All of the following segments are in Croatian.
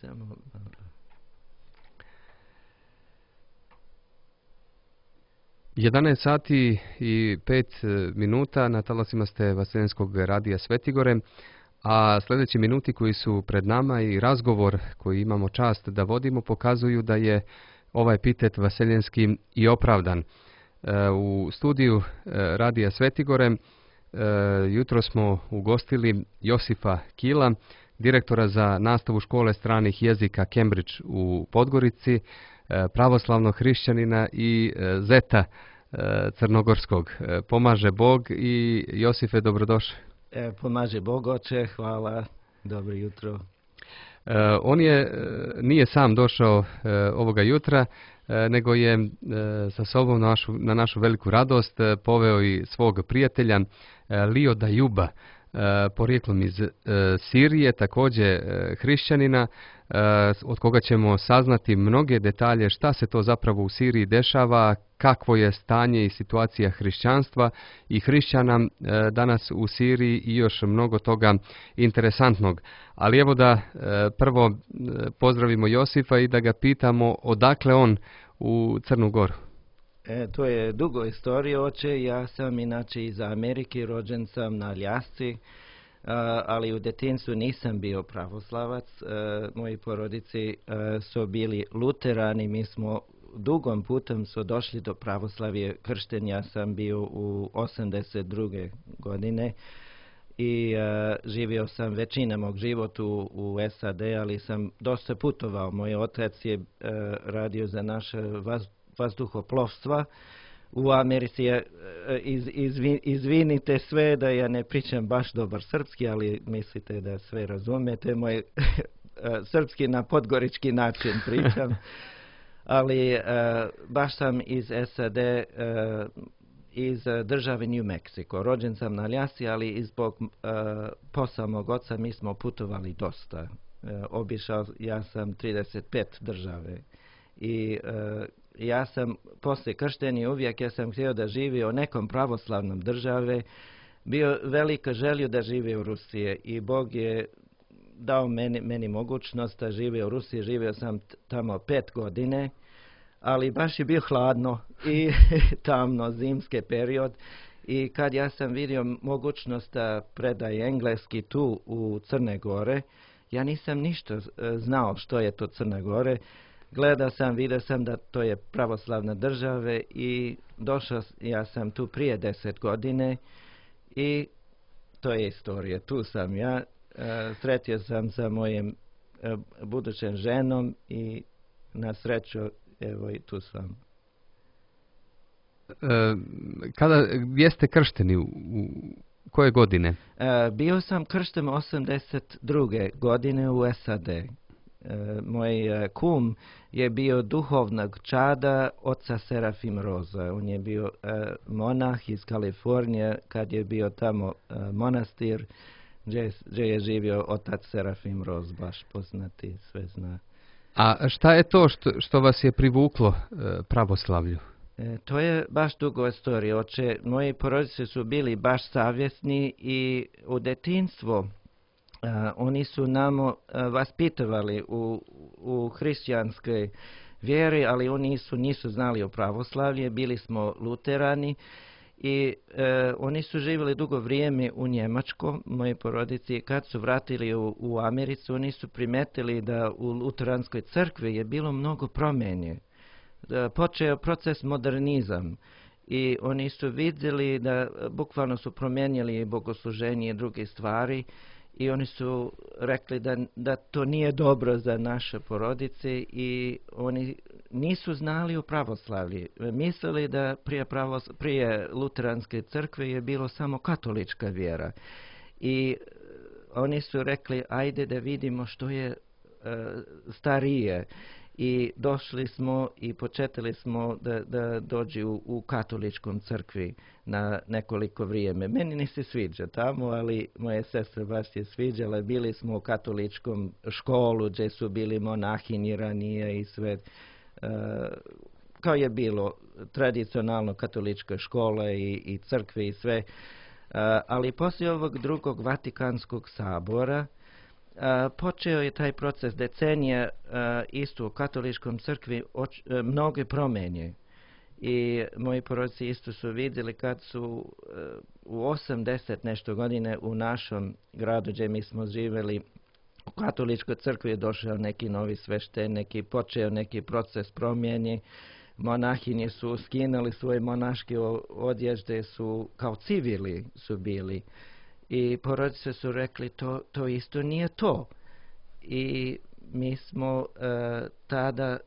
Samo... 11 sati i 5 minuta na talasima ste Vaseljenskog radija Svetigore, a sljedeći minuti koji su pred nama i razgovor koji imamo čast da vodimo pokazuju da je ovaj epitet vaseljenski i opravdan. U studiju radija Svetigore jutro smo ugostili Josifa Kila, direktora za nastavu škole stranih jezika Cambridge u Podgorici, pravoslavnog hrišćanina i zeta crnogorskog. Pomaže Bog i Josife, dobrodošli. Pomaže Bog, oče, hvala, dobro jutro. On nije sam došao ovoga jutra, nego je sa sobom na našu veliku radost poveo i svog prijatelja Lio Dajuba, porijeklom iz Sirije, također hrišćanina, od koga ćemo saznati mnoge detalje šta se to zapravo u Siriji dešava, kakvo je stanje i situacija hrišćanstva i hrišćana danas u Siriji i još mnogo toga interesantnog. Ali evo da prvo pozdravimo Josifa i da ga pitamo odakle on u Crnu Goru. To je dugo istorija, oče. Ja sam inače iz Amerike, rođen sam na Aljasci, ali u detinjstvu nisam bio pravoslavac. Moji porodici su bili luterani, mi smo dugom putem su došli do pravoslavije. Kršten ja sam bio u 82. godine i živio sam većina mog života u SAD, ali sam dosta putovao. Moj otac je radio za naše vazduhoplovstva u Americi. Izvinite sve da ja ne pričam baš dobar srpski, ali mislite da sve razumijete. Moj srpski na podgorički način pričam. Ali baš sam iz SAD, iz države New Mexico. Rođen sam na Aljasci, ali zbog posla mog oca mi smo putovali dosta. Obišao ja sam 35 države i ja sam poslije krštenja uvijek ja sam htio da živi u nekom pravoslavnom države, bio velika želja da živi u Rusiji i Bog je dao meni mogućnost da živi u Rusiji. Živio sam tamo 5 godine, ali baš je bio hladno i tamno, zimski period. I kad ja sam vidio mogućnost da predaje engleski tu u Crne Gore, ja nisam ništa znao što je to Crna Gore. Gledao sam, vidio sam da to je pravoslavna država i došao ja sam tu prije 10 godine i to je istorija. Tu sam ja, sretio sam sa mojim budućem ženom i na sreću evo i tu sam. Gdje ste kršteni? U koje godine? Bio sam kršten 82. godine u SAD. Moj kum je bio duhovnog čada oca Serafim Roza. On je bio monah iz Kalifornije kad je bio tamo monastir gdje je živio otac Serafim Roz, baš poznati, sve zna. A šta je to što vas je privuklo pravoslavlju? To je baš dugo istorija, oče. Moji porodice su bili baš savjesni i u detinjstvu oni su nam vaspitovali u hrišćanskoj vjeri, ali oni nisu znali o pravoslavlju, bili smo luterani i oni su živjeli dugo vrijeme u Njemačkoj, moji porodici. Kad su vratili u Americu, oni su primetili da u luteranskoj crkvi je bilo mnogo promjene. Počeo proces modernizam i oni su vidjeli da bukvalno su promijenili bogosluženje i druge stvari. I oni su rekli da to nije dobro za naše porodice i oni nisu znali o pravoslavlju. Mislili da prije luteranske crkve je bilo samo katolička vjera. I oni su rekli ajde da vidimo što je starije. I došli smo i početili smo da dođu u katoličkom crkvi na nekoliko vrijeme. Meni ne se sviđa tamo, ali moje sestre baš je sviđale. Bili smo u katoličkom školu gdje su bili monahinji ranije i sve. Kao je bilo tradicionalno katolička škola i crkve i sve. Ali poslije ovog drugog Vatikanskog sabora počeo je taj proces decenija isto u katoličkom crkvi mnoge promjene. I moji proroci isto su vidjeli kad su u 80 nešto godine u našem gradu gdje mi smo živjeli u katoličkoj crkvi je došao neki novi sveštenik i počeo neki proces promjene. Monahinje su skinuli svoje monaške odježde, su kao civili su bili. I porodice su rekli to isto nije to. I mi smo tada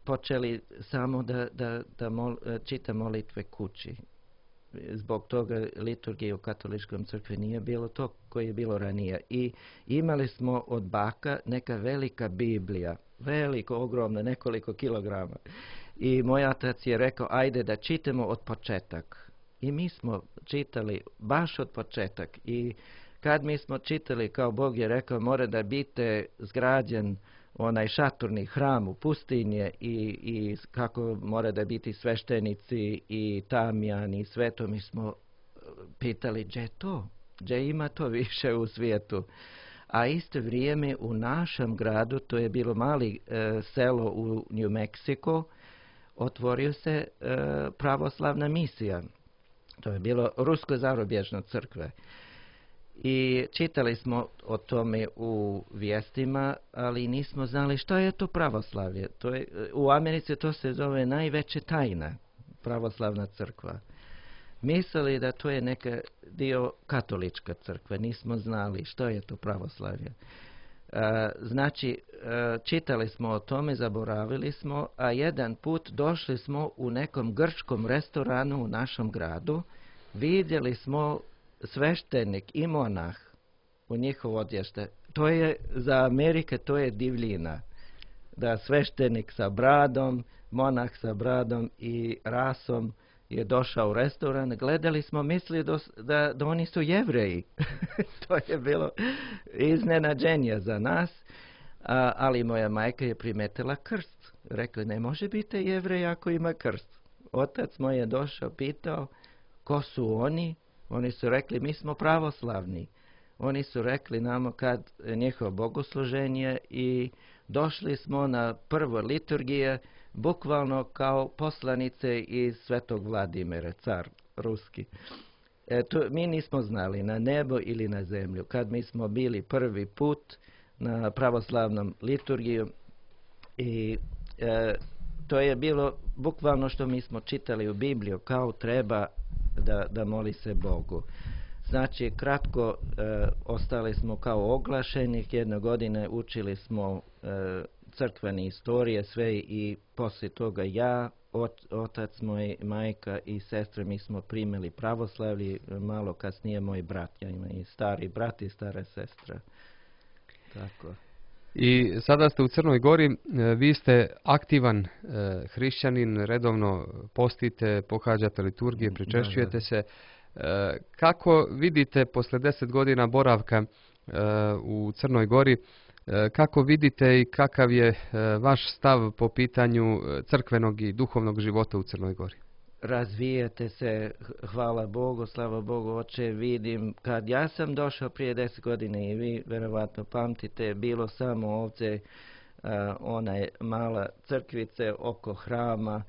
počeli samo da čita molitve kući. Zbog toga liturgije u katoličkom crkvi nije bilo to koje je bilo ranije. I imali smo od baka neka velika Biblija, veliko, ogromna, nekoliko kilograma. I moj otac je rekao, ajde da čitamo od početak. I mi smo čitali baš od početak. I kad mi smo čitali, kao Bog je rekao, mora da biti zgrađen onaj šatorni hram u pustinje i kako mora da biti sveštenici i tamjan i sve to, mi smo pitali gdje je to? Gdje ima to više u svijetu? A isto vrijeme u našem gradu, to je bilo mali selo u New Mexico, otvorio se pravoslavna misija. To je bilo rusko zarubježno crkve. I čitali smo o tome u vijestima, ali nismo znali što je to pravoslavlje. U Americi to se zove najveća tajna, pravoslavna crkva. Mislili da to je neka dio katolička crkva, nismo znali što je to pravoslavlje. Znači, čitali smo o tome, zaboravili smo, a jedan put došli smo u nekom grčkom restoranu u našem gradu, vidjeli smo sveštenik i monah u njihov odješte. To je za Amerike, to je divljina. Da sveštenik sa bradom, monah sa bradom i rasom je došao u restoran. Gledali smo, mislili da oni su Jevreji. To je bilo iznenađenje za nas. Ali moja majka je primetila krst. Rekla, ne može biti Jevrej ako ima krst. Otac moj je došao, pitao, ko su oni? Oni su rekli, mi smo pravoslavni. Oni su rekli nama kad njihovo bogosluženje i došli smo na prvo liturgije, bukvalno kao poslanice iz Svetog Vladimira, car ruski. Mi nismo znali na nebo ili na zemlju. Kad mi smo bili prvi put na pravoslavnom liturgiju i to je bilo bukvalno što mi smo čitali u Bibliju, kao treba da moli se Bogu. Znači, kratko ostali smo kao oglašenih, jedne godine učili smo crkvene istorije sve i poslije toga ja, otac moj, majka i sestra, mi smo primili pravoslavlje, malo kasnije moj brat, ja imam i stari brat i stara sestra. Tako. I sada ste u Crnoj Gori, vi ste aktivan hrišćanin, redovno postite, pohađate liturgije, pričešćujete se. Kako vidite posle 10 godina boravka u Crnoj Gori, kako vidite i kakav je vaš stav po pitanju crkvenog i duhovnog života u Crnoj Gori? Razvijate se, hvala Bogu, slava Bogu, oče, vidim, kad ja sam došao prije 10 godina i vi verovatno pamtite, bilo samo ovdje onaj mala crkvice oko hrama,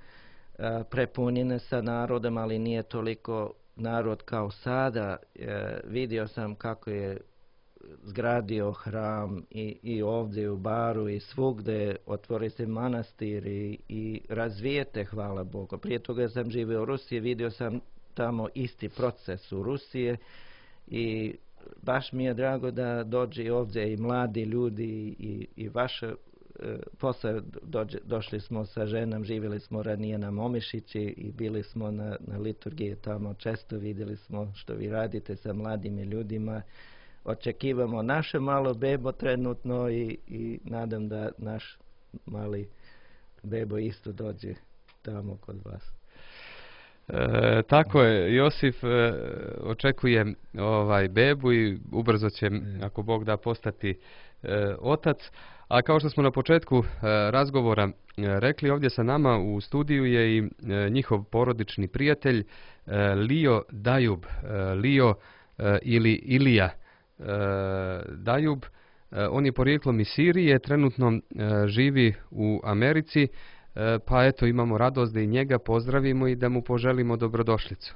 prepunjene sa narodom, ali nije toliko narod kao sada. Vidio sam kako je zgradio hram i ovdje u Baru i svugdje, otvori se manastir i razvijete, hvala Bogu. Prije toga sam živio u Rusiji, vidio sam tamo isti proces u Rusiji i baš mi je drago da dođe ovdje i mladi ljudi i vaše posle došli smo sa ženom, živjeli smo ranije na Momišići i bili smo na liturgiji tamo, često vidjeli smo što vi radite sa mladim ljudima. Očekivamo naše malo bebo trenutno i nadam da naš mali bebo isto dođe tamo kod vas. Tako je, Josif očekuje bebu i ubrzo će, ako Bog da, postati otac. A kao što smo na početku razgovora rekli, ovdje sa nama u studiju je i njihov porodični prijatelj Lio Dajub, Lio ili Ilija. Dajub. On je porijeklom iz Sirije, trenutno živi u Americi, pa eto imamo radost da i njega pozdravimo i da mu poželimo dobrodošlicu.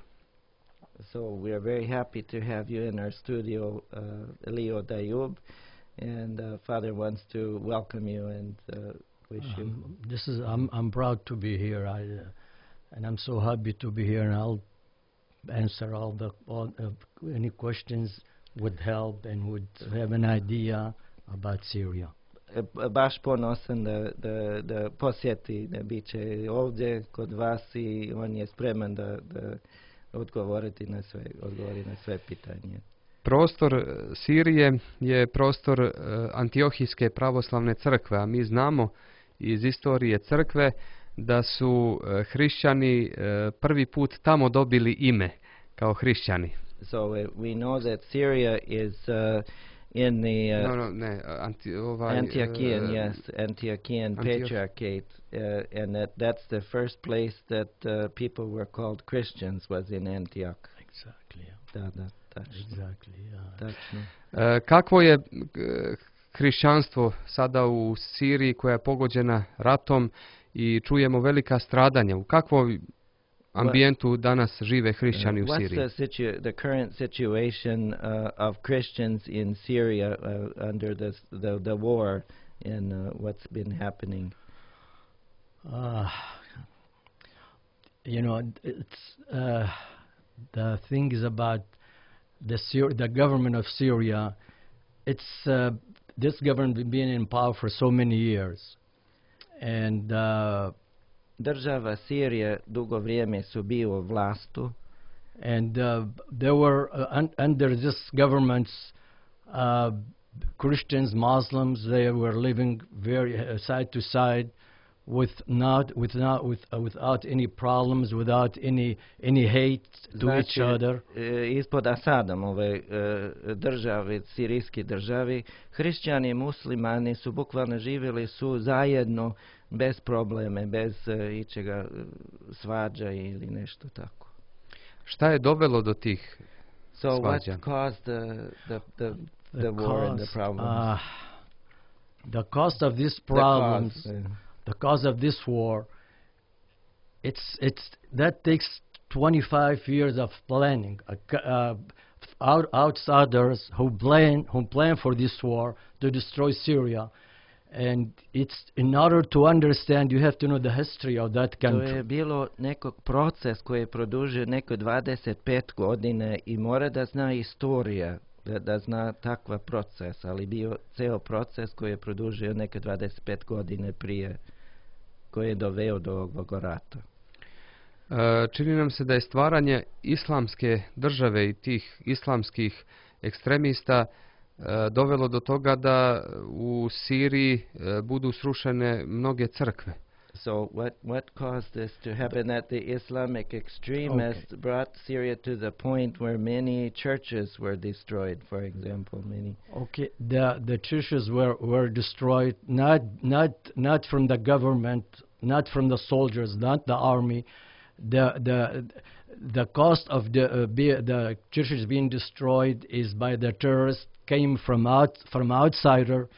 So we are very happy to have you in our studio, Leo Dayub, and Father wants to welcome you and wish you. I'm proud to be here, and I'm so happy to be here, and I'll answer all any questions would help and would have an idea about Syria. Baš ponosan da posjeti, da bit će ovdje kod vas i on je spreman da odgovori na sve pitanje. Prostor Sirije je prostor Antiohijske pravoslavne crkve, a mi znamo iz istorije crkve da su hrišćani prvi put tamo dobili ime kao hrišćani. So we know that Syria is in the Antiochian Patriarchate, and that's the first place that people were called Christians was in Antioch. Exactly. Exactly. Tačno. Kakvo je hrišćanstvo sada u Siriji koja je pogođena ratom i čujemo velika stradanja? U kakvom ambijentu danas žive hrišćani u Siriji? What's the current situation of Christians in Syria under the war and what's been happening? It's the thing is about the government of Syria. It's this government has been in power for so many years, and država Sirija dugo vrijeme su bio u vlastu. And there were under this government's Christians, Muslims, they were living very side to side without any problems, without any hate to each other. Ispod Asadom ove države, sirijski državi, hrišćani i muslimani su bukvalno živjeli su zajedno bez probleme, bez ičega svađa ili nešto tako. Šta je dovelo do tih svađa? So what caused the war and the problems? The cause of these problems, the cause of this war, that takes 25 years of planning. Outsiders who plan for this war to destroy Syria. And it's in order to understand, you have to know the history of that country. To je bilo nekog proces koji je produžio neko 25 godina i mora da zna istorija, da zna takva proces, ali bio ceo proces koji je produžio neko 25 godine prije, koji je doveo do ovog rata. Čini nam se da je stvaranje islamske države i tih islamskih ekstremista dovelo do toga da u Siriji budu srušene mnoge crkve. So what caused this to happen? That the Islamic extremists brought Syria to the point where many churches were destroyed, for example, many. Okay, the churches were destroyed not from the government, not from the soldiers, not the army. The cost of the churches being destroyed is by the terrorists, came from outsider,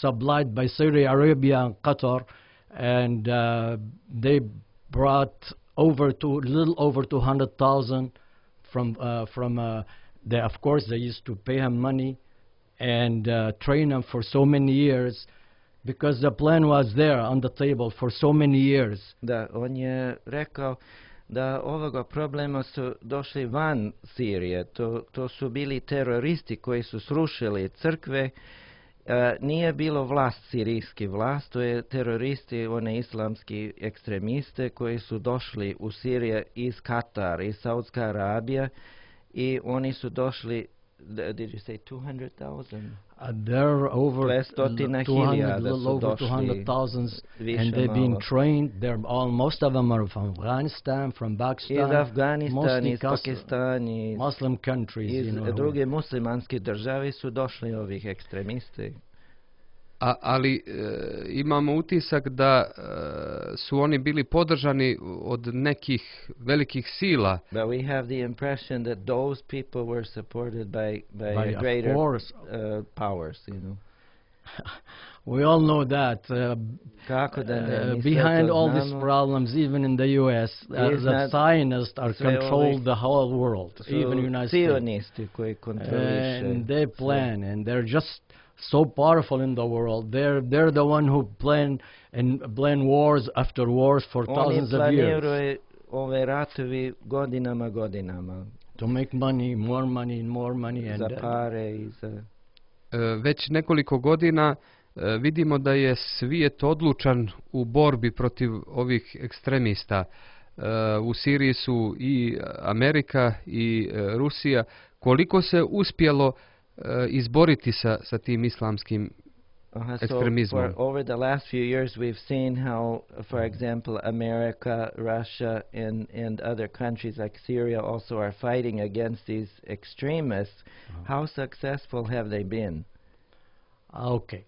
supplied by Saudi Arabia and Qatar, and they brought little over 200,000 from they, of course they used to pay him money and train them for so many years, because the plan was there on the table for so many years. Da, on je rekao da ovoga problema su došli van Sirije. To su bili teroristi koji su srušili crkve. Nije bilo sirijski vlast, to je teroristi, one islamski ekstremiste koji su došli u Siriju iz Katara, iz Saudska Arabija, i oni su došli, did you say 200,000? They're over 200,000, and they've been trained. Most of them are from Afghanistan, from Pakistan, iz Afganistana, iz Pakistana, Muslim countries. Iz druge muslimanske države su došli ovih ekstremisti. Ali imamo utisak da su oni bili podržani od nekih velikih sila. But we have the impression that those people were supported by Of greater course. powers, you know. We all know that. Kako da ne, mi sve Behind to all these znamo. problems, even in the U.S., the Iznad Zionists are sve control ovih the whole world, su even United States. sionisti koji kontroliše. And they plan, and they're just so powerful in the world. They're the one who plan wars after wars for Oni thousands of years planiraju ove ratovi godinama. to make money, more money, and more money, and Za pare i za... Već nekoliko godina vidimo da je svijet odlučan u borbi protiv ovih ekstremista. U Siriji su i Amerika i Rusija. Koliko se uspjelo izboriti sa tim islamskim ekstremizmom? So over the last few years we've seen how, for example, America, Russia, and other countries like Syria also are fighting against these extremists. How successful have they been? Okay.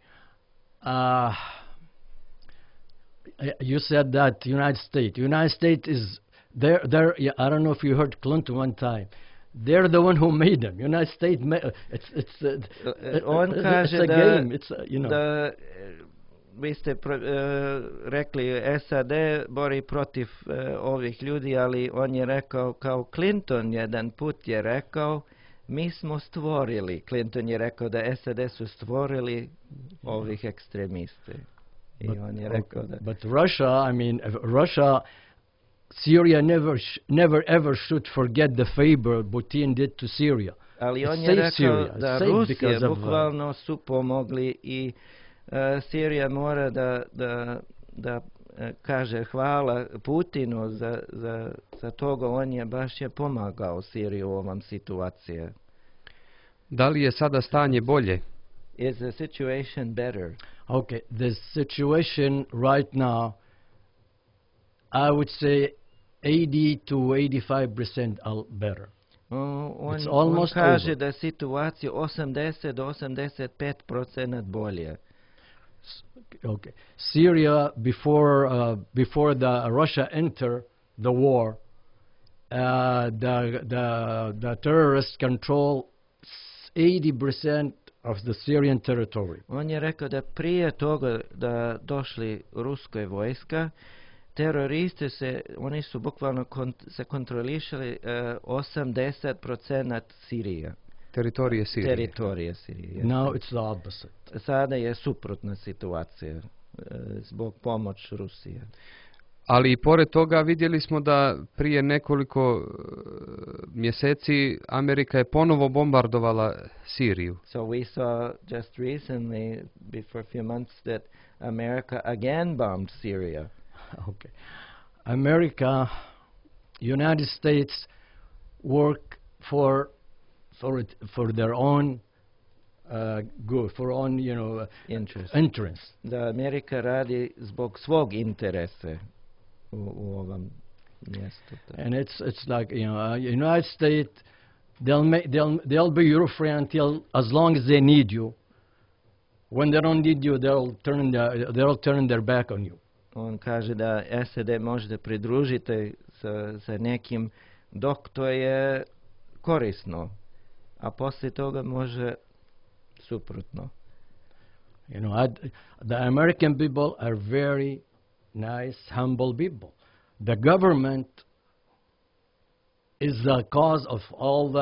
You said that United States is there. Yeah, I don't know if you heard Clinton one time. They're the one who made them. United States. On it's kaže a da, game. It's you know. da vi ste rekli SAD bori protiv ovih ljudi, ali on je rekao, kao Clinton jedan put je rekao, mi smo stvorili. Clinton je rekao da SAD su stvorili ovih ekstremiste. I on je rekao da... But Russia, I mean, Russia, Syria never ever should forget the favor Putin did to Syria. Ali on It je saved rekao Syria. da It saved Rusije because of, bukvalno su pomogli i Sirija mora da kaže hvala Putinu za toga. On je baš pomagao Siriju u ovom situaciji. Da li je sada stanje bolje? Is the situation better? Okay, the situation right now, I would say 80 to 85% better. On almost kaže over. da je situacija 80 do 85% bolje. Okay, Syria before the Russia enter the war, the terrorists control 80% of the Syrian territory. On je rekao da prije toga da došli ruskoj vojska, teroristi oni su bukvalno se kontrolišali 80% Sirije. Teritorije Sirije. Teritorije Sirije. Now it's the opposite. Sada je suprotna situacija zbog pomoć Rusije. Ali i pored toga vidjeli smo da prije nekoliko mjeseci Amerika je ponovo bombardovala Siriju. So we saw just recently, before a few months, that America again bombed Syria. Okay, America, United States work for their own good, for own interest. Da Amerika radi zbog svog interesa u ovom mjestu. And it's like United States, they'll be your friend as long as they need you. When they don't need you, they'll turn their back on you. On kaže da SAD možete pridružiti sa nekim dok to je korisno, a poslije toga može suprotno. The American people are very nice, humble people. The government is the cause of all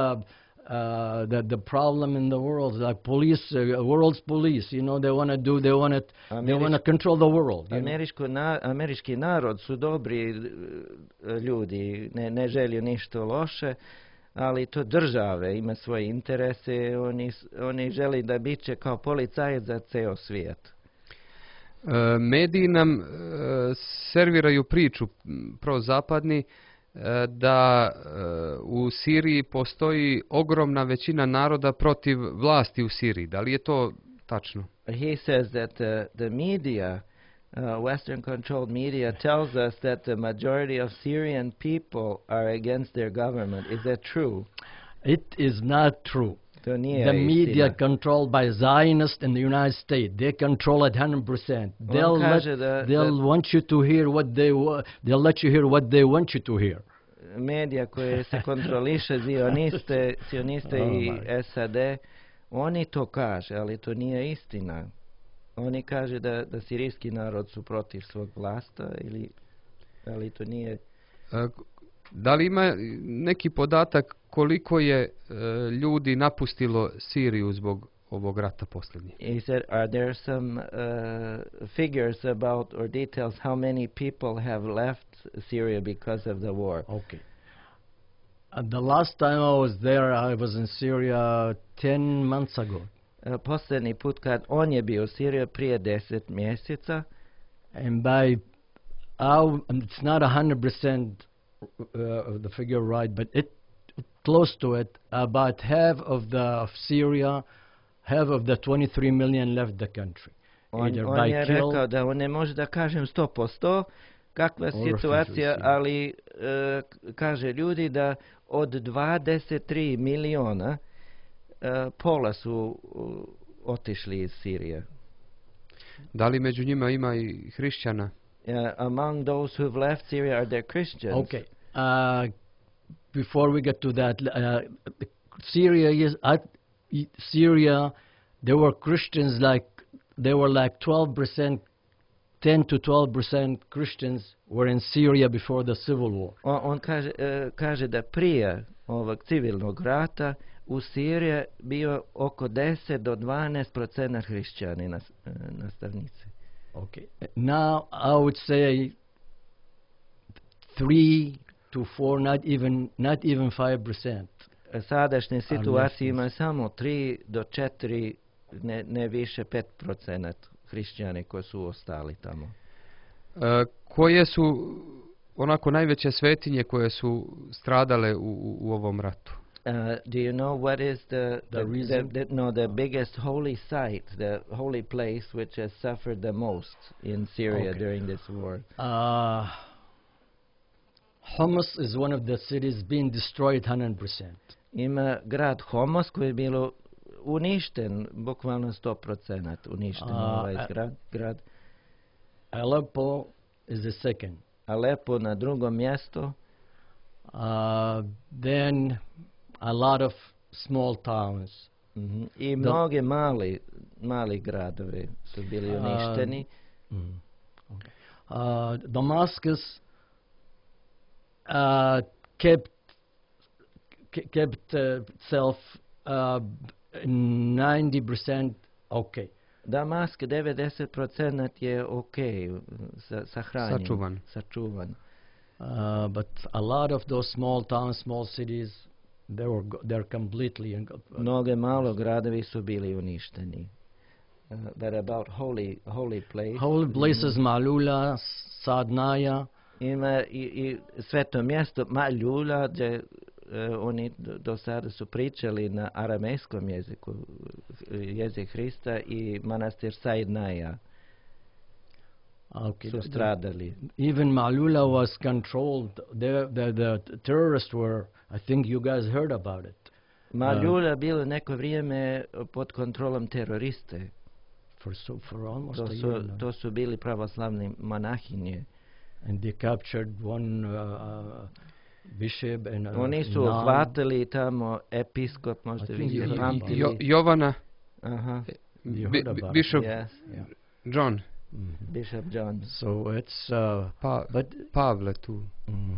the problem in the world. Like police, world's police. They want to control the world. Američki narod su dobri ljudi, ne želju ništa loše, ali to države ima svoje interese. Oni želi da biće kao policajac za ceo svijet. Mediji nam serviraju priču prozapadni da u Siriji postoji ogromna većina naroda protiv vlasti u Siriji. Da li je to tačno? He says that the media, Western controlled media, tells us that the majority of Syrian people are against their government. Is that true? It is not true. To nije The media istina. controlled by Zionists in the United States. They control it 100%. On kaže They'll want you to hear what they'll let you hear what they want you to hear. medija koje se kontroliše sioniste Oh i my. SAD, oni to kaže, ali to nije istina. Oni kaže da sirijski narod su protiv svog vlasta, ali to nije. Da li ima neki podatak koliko je ljudi napustilo Siriju zbog ovog rata posljednjeg? He said, are there some figures about or details how many people have left Syria because of the war? Okay. The last time I was there, I was in Syria 10 months ago. Posljednji put kad on je bio u Siriji prije 10 mjeseca, And it's not 100% the figure right, but close to it. About half of Syria, half of the 23 million left the country. on je rekao da on ne može da kažem 100% kakva je situacija, ali kaže ljudi da od 23 miliona pola su otišli iz Sirije. Da li među njima ima i hrišćana? Among those who've left Syria, are there Christians? Okay. Before we get to that, Syria, there were Christians they were like 12%, 10 to 12% Christians were in Syria before the civil war. On kaže da prije ovog civilnog rata u Siriji bio oko 10 do 12% hrišćani nastavnici. Okay. Now I would say 3 to 4, not even 5%. Sadašnje situacije ima samo 3 do 4, ne više 5% hrišćani koji su ostali tamo. Koje su onako najveće svetinje koje su stradale u ovom ratu? Do you know what is the biggest holy site, the holy place which has suffered the most in Syria during this war? Homs is one of the cities being destroyed 100%. Ima grad Homos koji je bilo uništen, bukvalno 100% uništen ovaj grad. Aleppo is the second. Aleppo na drugom mjestu. Then a lot of small towns. I mnoge mali gradovi su bili uništeni. Damascus kept itself 90% okay. Damask 90% je sahranjen, sačuvan. But a lot of those small towns, small cities, they're completely. Mnoge malo gradovi su bili uništeni. But about holy place. Holy places, Malula, Sadnaya. Ima i sveto mjesto Malula gdje oni do sada su pričali na aramejskom jeziku, jezik Hrista, i manastir Saidnaja su stradali. Even Malula was controlled. The terrorists were, I think you guys heard about it. Malula bilo neko vrijeme pod kontrolom teroriste. For almost a year. To su bili pravoslavni monahinje. And they captured one bishop and oni su uhvatili tamo episkop, možete vidjeti, Jovana, Bishop John. Bishop John. So it's Pavle tu.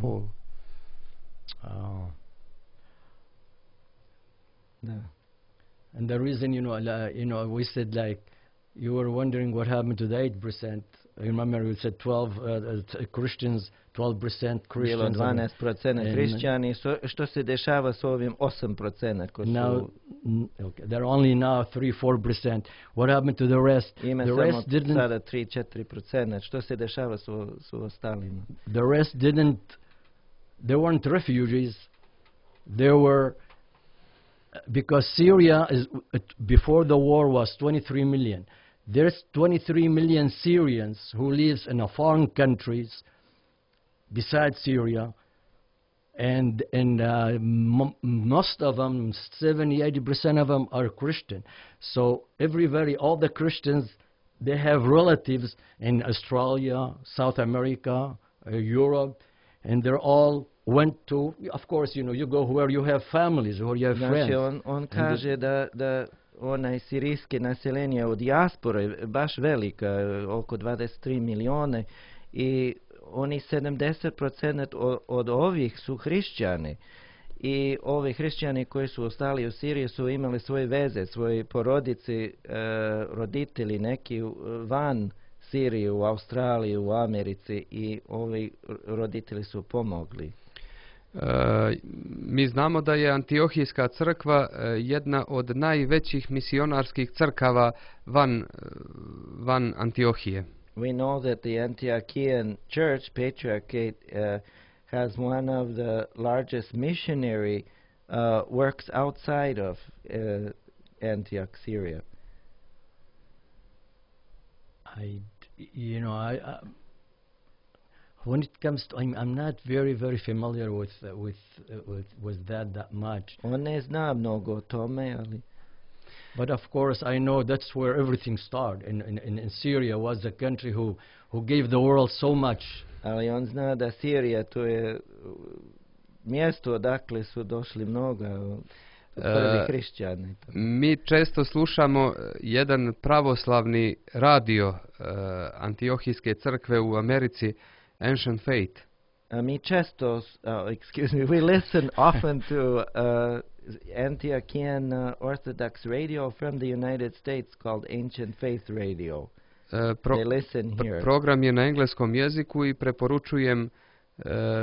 Paul. And the reason, we said, like, you were wondering what happened to the 8%. Remember, we said 12 Christians, 12% Christians. Bilo 12% hrišćani. Što se dešava s ovim 8% koji su... They're only now 3-4%. What happened to the rest? Ima the rest didn't. Sada 3-4%. Što se dešava s ostalima? The rest didn't. They weren't refugees. They were... Because Syria before the war was 23 million. There's 23 million Syrians who live in foreign countries besides Syria, and most of them, 70-80% of them are Christian. So all the Christians, they have relatives in Australia, South America, Europe, and they're all went to, of course, you go where you have families, where you have friends. Znači, on kaže da onaj sirijski naseljenje u dijaspore baš velika, oko 23 milijone, i oni 70% od ovih su hrišćani. I ovi hrišćani koji su ostali u Siriji su imali svoje veze, svoje porodice, roditelji neki van Sirije, u Australiji, u Americi, i ovi roditelji su pomogli. Mi znamo da je Antiohijska crkva jedna od najvećih misionarskih crkava van Antiohije. We know that the Antiochian Church, Patriarchate, has one of the largest missionary works outside of Antioch, Syria. When it comes to, I'm not very familiar with that much. On ne zna mnogo o tome, ali... But of course, I know that's where everything started. In Syria was the country who gave the world so much. Ali on zna da Sirija to je mjesto odakle su došli mnoga prvi hrišćani. Mi često slušamo jedan pravoslavni radio Antiohijske crkve u Americi, Ancient Faith. Mi često, we listen often to Antiochian Orthodox radio from the United States called Ancient Faith Radio. They listen here. Program je na engleskom jeziku i preporučujem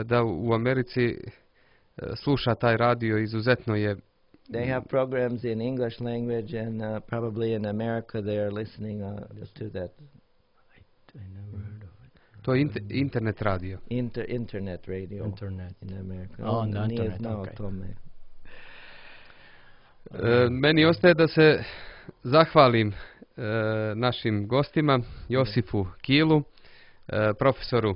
da u Americi sluša taj radio, izuzetno je. They have programs in English language, and probably in America they are listening to that. I never heard of it. To je internet radio. Internet radio. Internet. In America. On the nije internet, znao okay. tome. Meni ostaje da se zahvalim našim gostima, Josifu Kilu, profesoru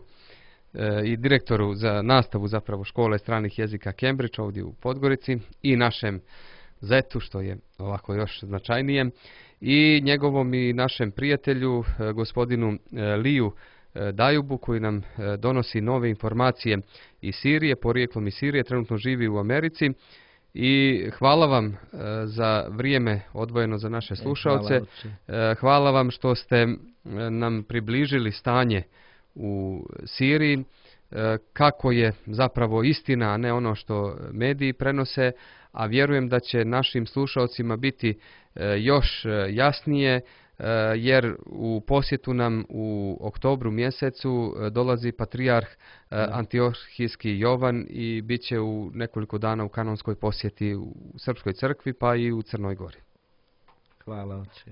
i direktoru za nastavu zapravo škole stranih jezika Cambridge ovdje u Podgorici, i našem zetu, što je ovako još značajnije, i njegovom i našem prijatelju, gospodinu Liju Dajubu, koji nam donosi nove informacije iz Sirije, porijeklom iz Sirije, trenutno živi u Americi. I hvala vam za vrijeme odvojeno za naše slušaoce. Hvala vam što ste nam približili stanje u Siriji, kako je zapravo istina, a ne ono što mediji prenose, a vjerujem da će našim slušaocima biti još jasnije, jer u posjetu nam u oktobru mjesecu dolazi patrijarh Antiohijski Jovan i bit će u nekoliko dana u kanonskoj posjeti u Srpskoj crkvi, pa i u Crnoj Gori. Hvala, oče.